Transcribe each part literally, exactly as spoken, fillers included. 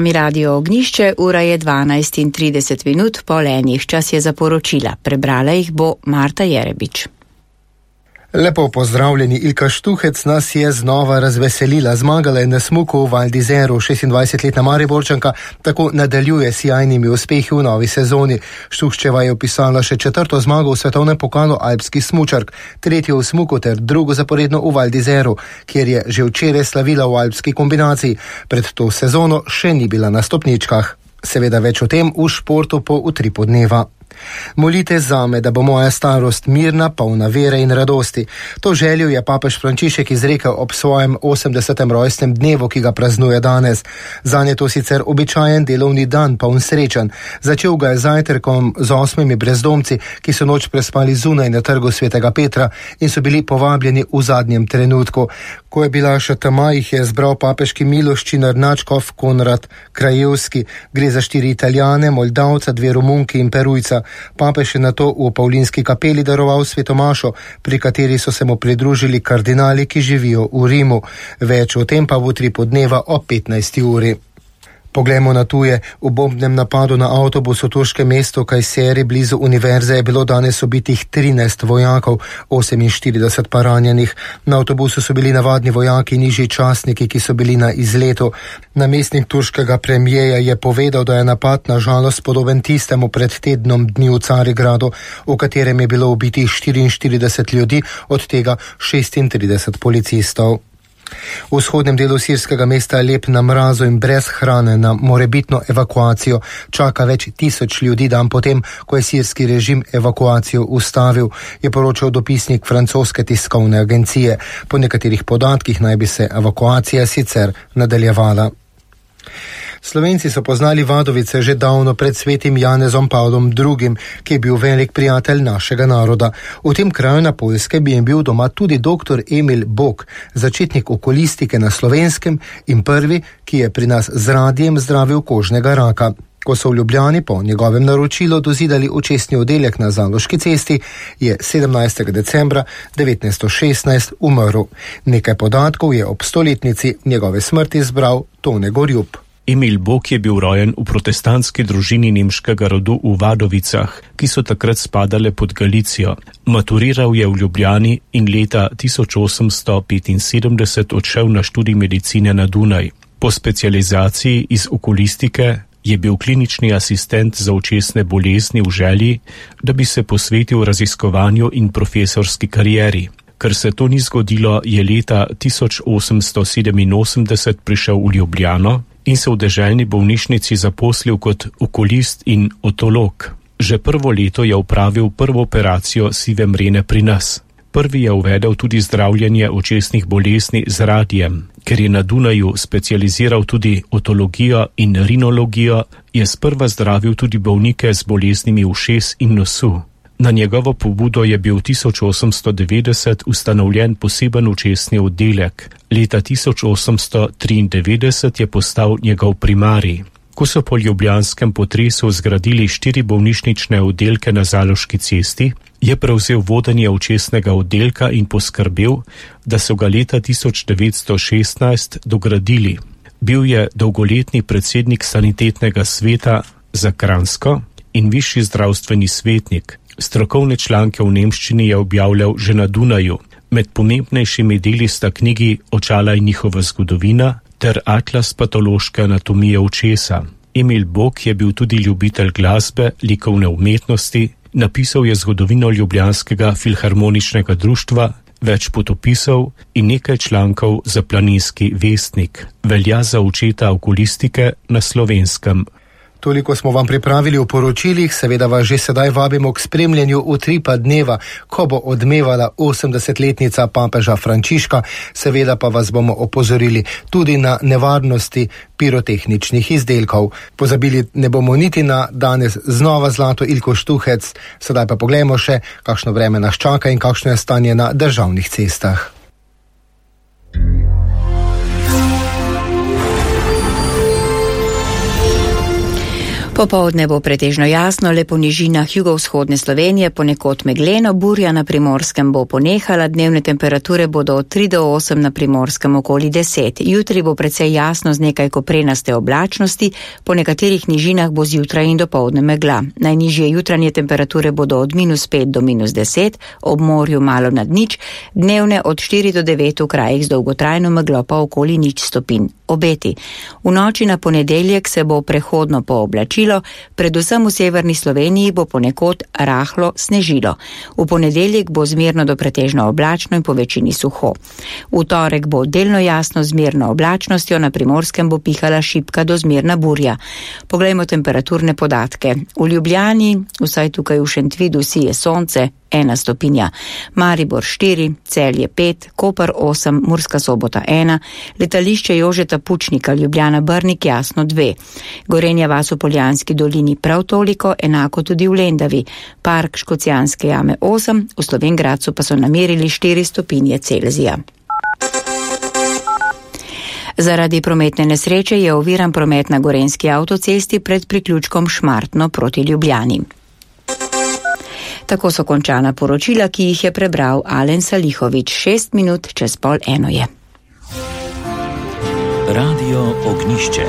Mi Radio Ognišče, ura je dvanajst in trideset minut po enih, čas je za poročila. Prebrala jih bo Marta Jerebič. Lepo pozdravljeni, Ilka Štuhec nas je znova razveselila. Zmagala je na smuku v Val d'Isère, šestindvajsetletna Mariborčanka, tako nadaljuje s sjajnimi uspehi v novi sezoni. Štuhčeva je opisala še četrto zmago v svetovnem pokalu alpskih smučark, tretjo v smuku ter drugo zaporedno v Val d'Isère, kjer je že včeraj slavila v alpski kombinaciji. Pred to sezono še ni bila na stopničkah. Seveda več o tem v športu po utripu dneva. Molite zame, da bo moja starost mirna, polna vere in radosti. To željo je papež Frančišek izrekel ob svojem osemdesetem rojstnem dnevu, ki ga praznuje danes. Zanje to sicer običajen delovni dan, poln srečan. Začel ga je zajtrkom z osmimi brezdomci, ki so noč prespali zunaj na trgu Svetega Petra in so bili povabljeni v zadnjem trenutku. Ko je bila še tema, jih je zbral papeški miloščinar Načkov Konrad Krajevski. Gre za štiri Italijane, Moldavca, dve Romunki in Perujca. Papež je nato v Pavlinski kapeli daroval svetomašo, pri kateri so se mu pridružili kardinali, ki živijo v Rimu. Več o tem pa v utripu dneva o petnajsti uri. Poglejmo na tuje. V bombnem napadu na avtobus v turškem mestu Kajseri blizu univerze je bilo danes ubitih trinajst vojakov, oseminštirideset pa ranjenih. Na avtobusu so bili navadni vojaki, nižji častniki, ki so bili na izletu. Namestnik turškega premijeja je povedal, da je napad na žalost podoben tistemu pred tednom dni v Carigradu, v katerem je bilo ubitih štiriinštirideset ljudi, od tega šestintrideset policistov. V vzhodnem delu sirskega mesta Alep na mrazu in brez hrane na morebitno evakuacijo čaka več tisoč ljudi dan potem, ko je sirski režim evakuacijo ustavil, je poročal dopisnik francoske tiskovne agencije. Po nekaterih podatkih naj bi se evakuacija sicer nadaljevala. Slovenci so poznali Vadovice že davno pred svetim Janezom Pavlom drugim, ki je bil velik prijatelj našega naroda. V tem kraju na Poljskem bi jim bil doma tudi doktor Emil Bok, začetnik okulistike na Slovenskem in prvi, ki je pri nas z radijem zdravil kožnega raka. Ko so v Ljubljani po njegovem naročilu dozidali očesni oddelek na Zaloški cesti, je sedemnajstega decembra devetnajststo šestnajst umrl. Nekaj podatkov je ob stoletnici njegove smrti zbral Tone Gorjup. Emil Bok je bil rojen v protestantski družini nemškega rodu v Vadovicah, ki so takrat spadale pod Galicijo. Maturiral je v Ljubljani in leta tisoč osemsto petinsedemdeset odšel na študij medicine na Dunaj. Po specializaciji iz okulistike je bil klinični asistent za očesne bolezni v želji, da bi se posvetil raziskovanju in profesorski karieri. Ker se to ni zgodilo, je leta tisoč osemsto sedeminosemdeset prišel v Ljubljano in se v deželni bolnišnici zaposlil kot okulist in otolog. Že prvo leto je opravil prvo operacijo sive mrene pri nas. Prvi je uvedel tudi zdravljenje očesnih bolezni z radijem. Ker je na Dunaju specializiral tudi otologijo in rinologijo, je sprva zdravil tudi bolnike z boleznimi ušes in nosu. Na njegovo pobudo je bil tisoč osemsto devetdeset ustanovljen poseben očesni oddelek. Leta tisoč osemsto triindevetdeset je postal njegov primarij. Ko so po ljubljanskem potresu zgradili štiri bolnišnične oddelke na Zaloški cesti, je prevzel vodenje očesnega oddelka in poskrbel, da so ga leta tisoč devetsto šestnajst dogradili. Bil je dolgoletni predsednik sanitetnega sveta za Kranjsko in višji zdravstveni svetnik. Strokovne članke v nemščini je objavljal že na Dunaju. Med pomembnejšimi deli sta knjigi Očala in njihova zgodovina ter Atlas patološke anatomije očesa. Emil Bok je bil tudi ljubitelj glasbe, likovne umetnosti, napisal je zgodovino Ljubljanskega filharmoničnega društva, več potopisov in nekaj člankov za Planinski vestnik. Velja za očeta okulistike na Slovenskem. Toliko smo vam pripravili v poročilih, seveda vas že sedaj vabimo k spremljanju utripa dneva, ko bo odmevala osemdesetletnica papeža Frančiška, seveda pa vas bomo opozorili tudi na nevarnosti pirotehničnih izdelkov. Pozabili ne bomo niti na danes znova zlato Ilko Štuhec, sedaj pa poglejmo še, kakšno vreme nas čaka in kakšno je stanje na državnih cestah. Popoldne bo pretežno jasno, le po nižinah jugovzhodne Slovenije, ponekod megleno, burja na Primorskem bo ponehala, dnevne temperature bodo od tri do osem na Primorskem okoli deset. Jutri bo precej jasno z nekaj koprenaste oblačnosti, po nekaterih nižinah bo zjutraj in dopoldne megla. Najnižje jutranje temperature bodo od minus pet do minus deset, ob morju malo nad nič, dnevne od štiri do devet v krajih z dolgotrajno meglo pa okoli nič stopinj. Obeti. V noči na ponedeljek se bo prehodno pooblačilo, predvsem v severni Sloveniji bo ponekod rahlo snežilo. V ponedeljek bo zmerno do pretežno oblačno in po večini suho. V torek bo delno jasno z zmerno oblačnostjo, na Primorskem bo pihala šibka do zmerna burja. Poglejmo temperaturne podatke. V Ljubljani, vsaj tukaj v Šentvidu, sije sonce, ena stopinja, Maribor štiri, Celje pet, Koper osem, Murska Sobota ena, letališče Jožeta Pučnika, Ljubljana Brnik jasno dve, Gorenja vas v Poljanski dolini prav toliko, enako tudi v Lendavi, Park Škocjanske jame osem, v Slovenj Gradcu pa so namerili štiri stopinje Celzija. Zaradi prometne nesreče je oviran promet na Gorenjski avtocesti pred priključkom Šmartno proti Ljubljani. Tako so končana poročila, ki jih je prebral Alen Salihovič. Šest minut čez pol eno je. Radio Ognjišče.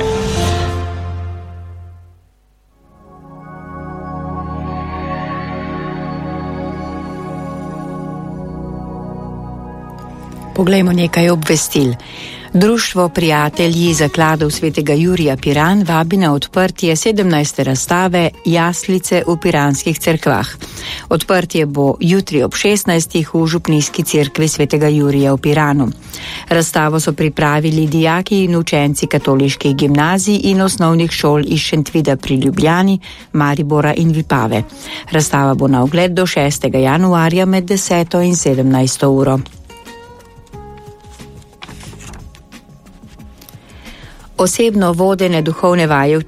Poglejmo nekaj obvestil. Društvo Prijatelji zakladov svetega Jurija Piran vabi na odprtje sedemnajste razstave Jaslice v piranskih cerkvah. Odprtje bo jutri ob šestnajstih v župnijski cerkvi svetega Jurija v Piranu. Razstavo so pripravili dijaki in učenci katoliških gimnazij in osnovnih šol iz Šentvida pri Ljubljani, Maribora in Vipave. Razstava bo na ogled do šestega januarja med deseto in sedemnajsto uro. Osebno vodene duhovne vaje v